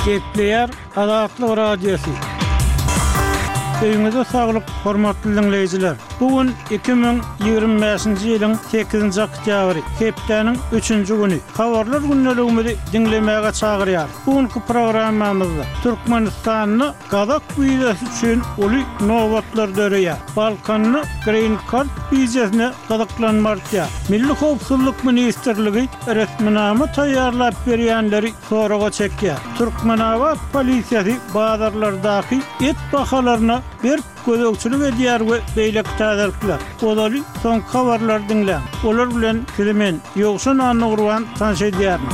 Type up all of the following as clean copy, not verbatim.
Gepleýär Azatlyk Radiosy. Öýüňize saglyk, hormatly diňleýjiler! Bu gün 2025-nji ýylyň sekizinji oktýabry, hepdäniň üçünji güni. Habarlar gündeligimizi diňlemäge çagyrýarys. Bu günki programmamyzda Türkmenistanda Gazak wizasy üçin uly nobatlar döreýär. Balkanda Green Card wizasyna gyzyklanma artýar. Milli howpsuzlyk ministrligi resminama taýýarlap berýänleri soraga çekýär. Türkmenabat polisiýasy bazarlardaky et bahalaryna berk gözegçilik edýär we beýleki täzelikler. Ozaly soňky habarlary diňläň. Olar bilen sizi men, Ýowşan Annagurban tanyş edýärin.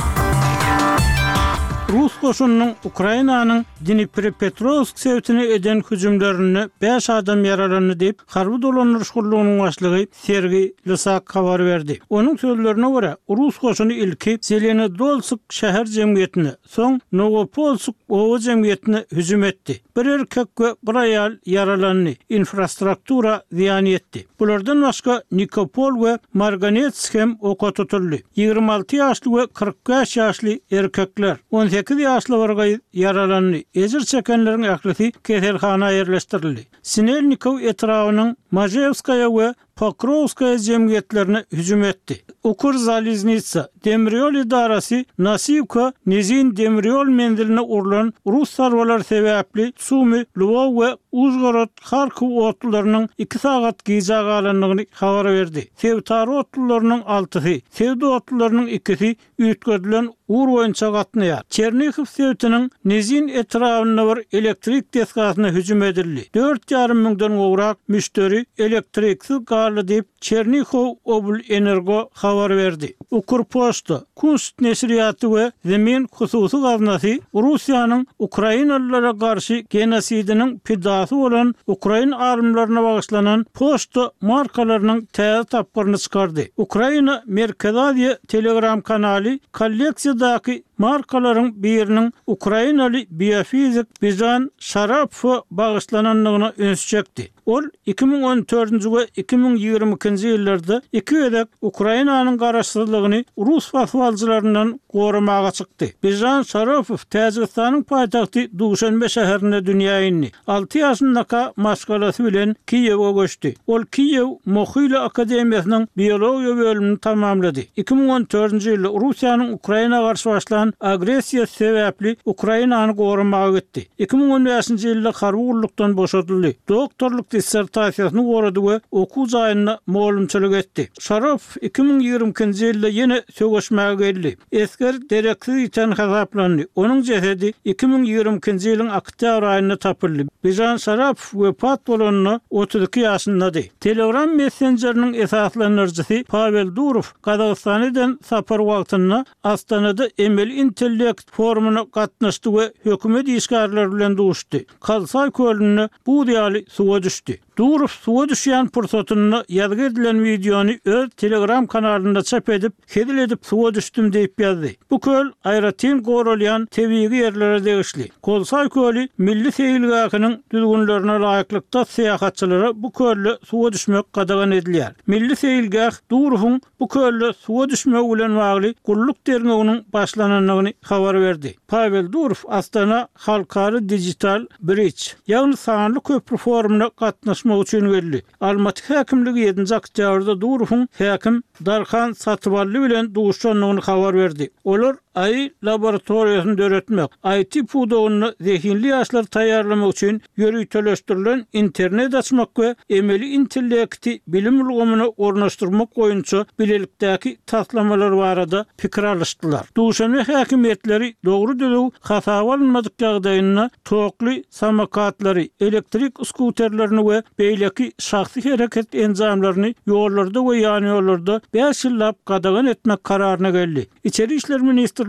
Rus goşunynyň Ukrainanyň Dniprepetrowsk sebitine eden hüjümlerinde bäş adam ýaralandy diýip, harby dolandyryş gullugynyň başlygy Sergiý Lysak habar berdi. Onuň sözlerine görä, rus goşuny ilki Zelenodolsk şäher jemgyýetine, soň Nowopolsk oba jemgyýetine hüjüm etdi. Bir erkek we bir aýal ýaralandy, infrastruktura zyýan ýetdi. Bulardan başga Nikopol we Marganets hem oka tutuldy. 26 ýaşly we 45 ýaşly erkekler, 18 ýaşly bir gyz ýaralandy. Ejir çekenleriň ählisi keselhana ýerleşdirildi. Sinelnikow etrabynyň Mažewskaýa we Pokrowskaýa jemgyýetlerine hüjüm etdi. Ukrzaliznitsa demir ýol edarasy Nasiwka Nizin demir ýol menziline urlan rus zarbalary sebäpli Sumy, Lwow we Užgorod, Harkow otlularynyň iki sagat gijä galandygyny habar berdi. Sebitara otlularynyň altysy, sebit otlularynyň ikisi üýtgedilen ugur boýunça gatnaýar. Çernihiw sebitiniň Nizin etrabynda bir elektrik desgasyna hüjüm edildi. Dört ýarym müňden gowrak müşderi elektriksiz galdy diýip, Çernihow oblenergo habar berdi. Ukrpoçta, Kunst neşirýaty we Zemin hususy gaznasy Russiýanyň ukrainalylara garşy genosidiniň pidasy bolan ukrain alymlaryna bagyşlanan poçta markalarynyň täze tapgyryny çykardy. Ukraina Merkezi Aziýa Telegram kanaly kolleksiýadaky markalaryň biriniň ukrainaly biofizik Bižan Şarapowa bagyşlanandygyna üns çekdi. Ol 2014-nji we 2022-nji ýyllarda iki gezek Ukrainanyň garaşsyzlygyny rus basybalyjylaryndan goramaga çykdy. Bižan Şaropow Täjigistanyň paýtagty Duşanbe şäherinde dünýä indi. Alty ýaşyndaka maşgalasy bilen Kiýewe göçdi. Ol Kiýew Mohyla akademiýasynyň biologiýa bölümini tamamlady. 2014-nji ýylda Russiýanyň Ukraina garşy başlan agressiýasy sebäpli Ukrainany goramaga gitdi. 2015-nji ýylda harby gullukdan boşadyldy. Doktorlyk dissertasiýasyny gorady we okuw jaýynda mugallymçylyk etdi. Şaropow 2022-nji ýylda ýene söweşmäge geldi. Esger dereksiz ýiten hasaplandy. Onuň jesedi 2022-nji ýylyň oktýabr aýynda tapyldy. Bižan Şarapow wepat bolanda 32 ýaşyndady. Telegram messenjeriniň esaslandyryjysy Pawel Durow Gazagystana eden sapary wagtynda Astanada emeli intellekt forumyna gatnaşdy we hökümet işgärleri bilen duşdy. Kalsaý kölünde buz ýaly suwa düşdi. Durow suwa düşýän pursatynda ýazgy edilen wideony öz Telegram kanalynda çap edip, Hezil edip suwa düşdüm diýip ýazdy. Bu köl aýratyn goralýan tebigy ýerlere degişli. Kolsaý köli milli seýilgähiniň düzgünlerine laýyklykda syýahatçylara bu kölde suwa düşmek gadagan edilýär. Milli seýilgäh Durowyň bu kölde suwa düşmegi bilen bagly gulluk derňewiniň başlanandygyny habar berdi. Pawel Durow Astana halkara digital bridge, ýagny sanly köpri forumyna gatnaşmak üçin geldi. Almaty häkimligi ýedinji oktýabrda Durowyň häkim Darhan Satybally bilen duşandygyny habar berdi. Olar AI laboratoriýasyny döretmek, IT pudagynda zehinli ýaşlary taýýarlamak üçin ýöriteleşdirilen internet açmak we emeli intellekti bilim ulgamyna ornaşdyrmak boýunça bilelikdäki taslamalar barada pikir alyşdylar. Duşanbe häkimiýetleri dogry-düzüw hasaba alynmadyk ýagdaýynda tokly samokatlary, elektrik skuterlerini we beýleki şahsy hereket enjamlaryny ýollarda we ýanýollarda bäş ýyllap gadagan etmek kararyna geldi. Içeri işler ministrliginiň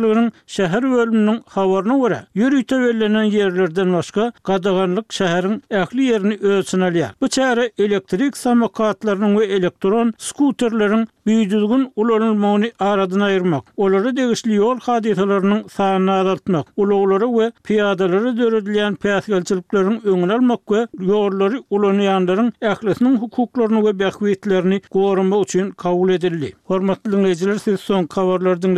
şäher bölüminiň habaryna görä, ýörite bellenen ýerlerden başga, gadaganlyk şäheriň ähli ýerini öz içine alýar. Bu çäre elektrik samokatlarynyň we elektron skuterleriň bidüzgün ulanylmagyny aradan aýyrmak, olara degişli ýol hadysalarynyň sanyny azaltmak, ulaglara we pyýadalara döredilýän päsgelçilikleriň öňüni almak we ýollary ulanýanlaryň ählisiniň hukuklaryny we bähbitlerini goramak üçin kabul edildi. Hormatly diňleýjiler, siz soňky habarlary diňlediňiz.